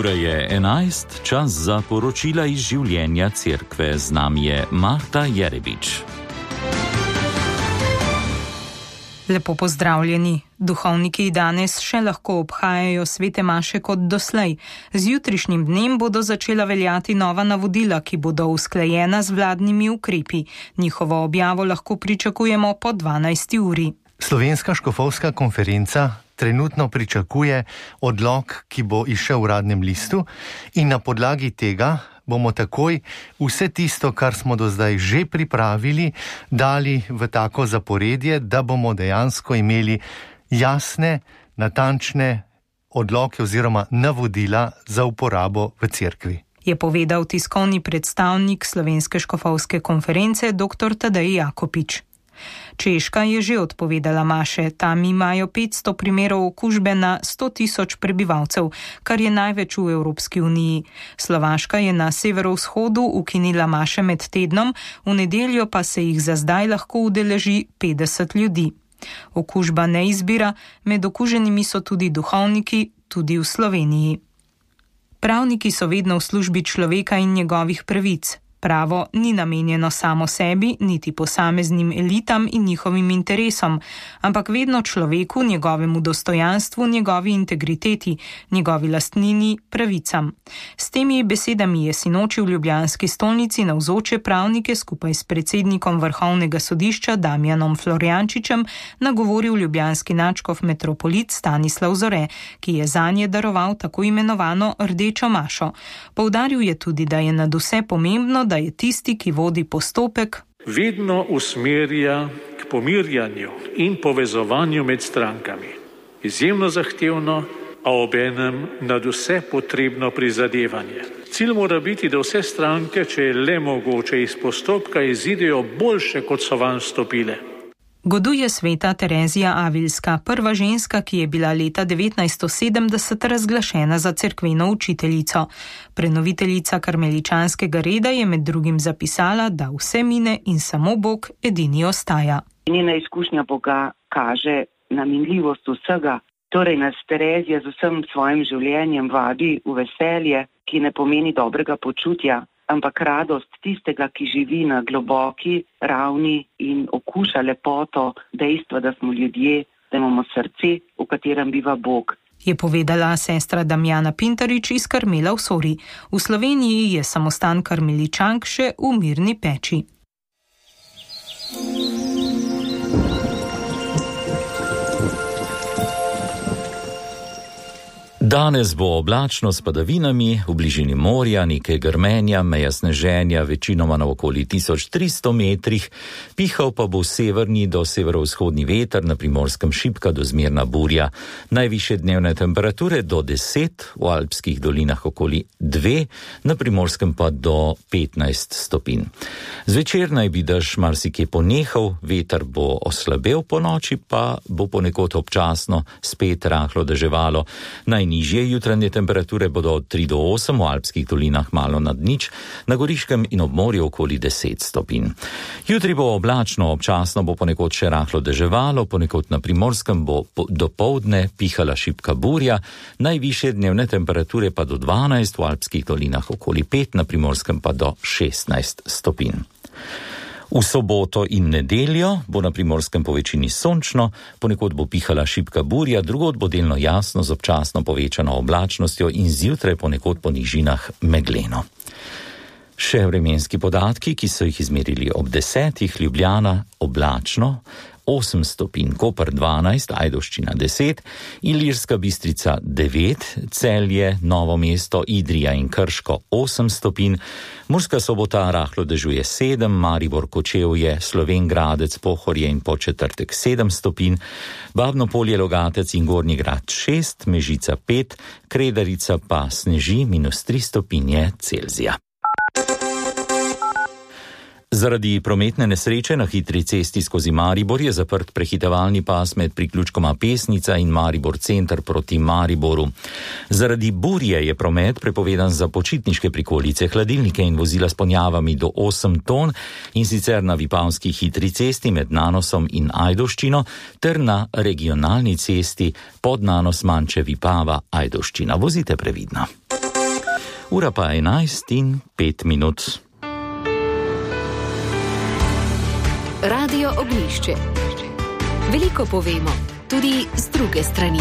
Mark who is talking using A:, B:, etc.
A: Ura je 11, čas za poročila iz življenja cerkve. Z nami je Marta Jerebič.
B: Lepo pozdravljeni. Duhovniki danes še lahko obhajajo svete maše kot doslej. Z jutrišnjim dnem bodo začela veljati nova navodila, ki bodo usklajena z vladnimi ukrepi. Njihovo objavo lahko pričakujemo po 12. uri.
C: Slovenska škofovska konferenca trenutno pričakuje odlok, ki bo izšel v Uradnem listu, in na podlagi tega bomo takoj vse tisto, kar smo do zdaj že pripravili, dali v tako zaporedje, da bomo dejansko imeli jasne, natančne odloke oziroma navodila za uporabo v cerkvi.
B: Je povedal tiskovni predstavnik Slovenske škofovske konference dr. Tadej Jakopič. Češka je že odpovedala maše, tam imajo 500 primerov okužbe na 100.000 prebivalcev, kar je največ v Evropski uniji. Slovaška je na severovzhodu ukinila maše med tednom, v nedeljo pa se jih za zdaj lahko udeleži 50 ljudi. Okužba ne izbira, med okuženimi so tudi duhovniki, tudi v Sloveniji. Pravniki so vedno v službi človeka in njegovih pravic. Pravo ni namenjeno samo sebi, niti posameznim elitam in njihovim interesom, ampak vedno človeku, njegovemu dostojanstvu, njegovi integriteti, njegovi lastnini, pravicam. S temi besedami je sinoči v ljubljanski stolnici navzoče pravnike skupaj s predsednikom Vrhovnega sodišča Damjanom Florjančičem nagovoril ljubljanski nadškof metropolit Stanislav Zore, ki je zanje daroval tako imenovano rdečo mašo. Poudaril je tudi, da je nadvse pomembno, da je tisti, ki vodi postopek,
D: vedno usmerja k pomirjanju in povezovanju med strankami. Izjemno zahtevno, a obenem nadvse potrebno prizadevanje. Cilj mora biti, da vse stranke, če je le mogoče, iz postopka izidejo boljše, kot so vanj vstopile.
B: Goduje sveta Terezija Avilska, prva ženska, ki je bila leta 1970 razglašena za cerkveno učiteljico. Prenoviteljica karmeličanskega reda je med drugim zapisala, da vse mine in samo Bog edini ostaja.
E: Njena izkušnja Boga kaže na minljivost vsega, torej nas Terezija z vsem svojim življenjem vabi v veselje, ki ne pomeni dobrega počutja, ampak radost tistega, ki živi na globoki ravni in okuša lepoto dejstva, da smo ljudje, da imamo srce, v katerem biva Bog.
B: Je povedala sestra Damjana Pintarič iz Karmela v Sori. V Sloveniji je samostan karmeličank še v Mirni Peči.
A: Danes bo oblačno s padavinami, v bližini morja, nekaj grmenja, meja sneženja, večinoma na okoli 1300 metrih, pihal pa bo severni do severovzhodni veter, na Primorskem šibka do zmerna burja. Najvišje dnevne temperature do 10, v alpskih dolinah okoli 2, na Primorskem pa do 15 stopinj. Zvečer naj bi dež marsikje ponehal, veter bo oslabel, po noči pa bo ponekod občasno spet rahlo deževalo. Najnižje jutranje temperature bodo od 3 do 8, v alpskih dolinah malo nad nič, na Goriškem in ob morju okoli 10 stopinj. Jutri bo oblačno, občasno bo ponekod še rahlo deževalo, ponekod na Primorskem bo dopoldne pihala šibka burja, najvišje dnevne temperature pa do 12, v alpskih dolinah okoli 5, na Primorskem pa do 16 stopinj. V soboto in nedeljo bo na Primorskem po večini sončno, ponekod bo pihala šibka burja, drugod bo delno jasno z občasno povečano oblačnostjo in zjutraj ponekod po nižinah megleno. Še vremenski podatki, ki so jih izmerili ob 10, Ljubljana oblačno, 8 stopinj, Koper 12, Ajdovščina 10, Ilirska Bistrica 9, Celje, Novo mesto, Idrija in Krško 8 stopinj, Murska Sobota rahlo dežuje 7, Maribor, Kočevje, Slovenj Gradec, Pohorje in Podčetrtek 7 stopinj, Babno Polje, Logatec in Gornji Grad 6, Mežica 5, Kredarica pa sneži -3 stopinje Celzija. Zaradi prometne nesreče na hitri cesti skozi Maribor je zaprt prehitevalni pas med priključkoma Pesnica in Maribor center proti Mariboru. Zaradi burje je promet prepovedan za počitniške prikolice, hladilnike in vozila s ponjavami do 8 ton, in sicer na Vipavski hitri cesti med Nanosom in Ajdovščino ter na regionalni cesti pod Nanos Manče Vipava Ajdovščina. Vozite previdno. Ura pa 11:05.
F: Radio Ognjišče. Veliko povemo, tudi z druge strani.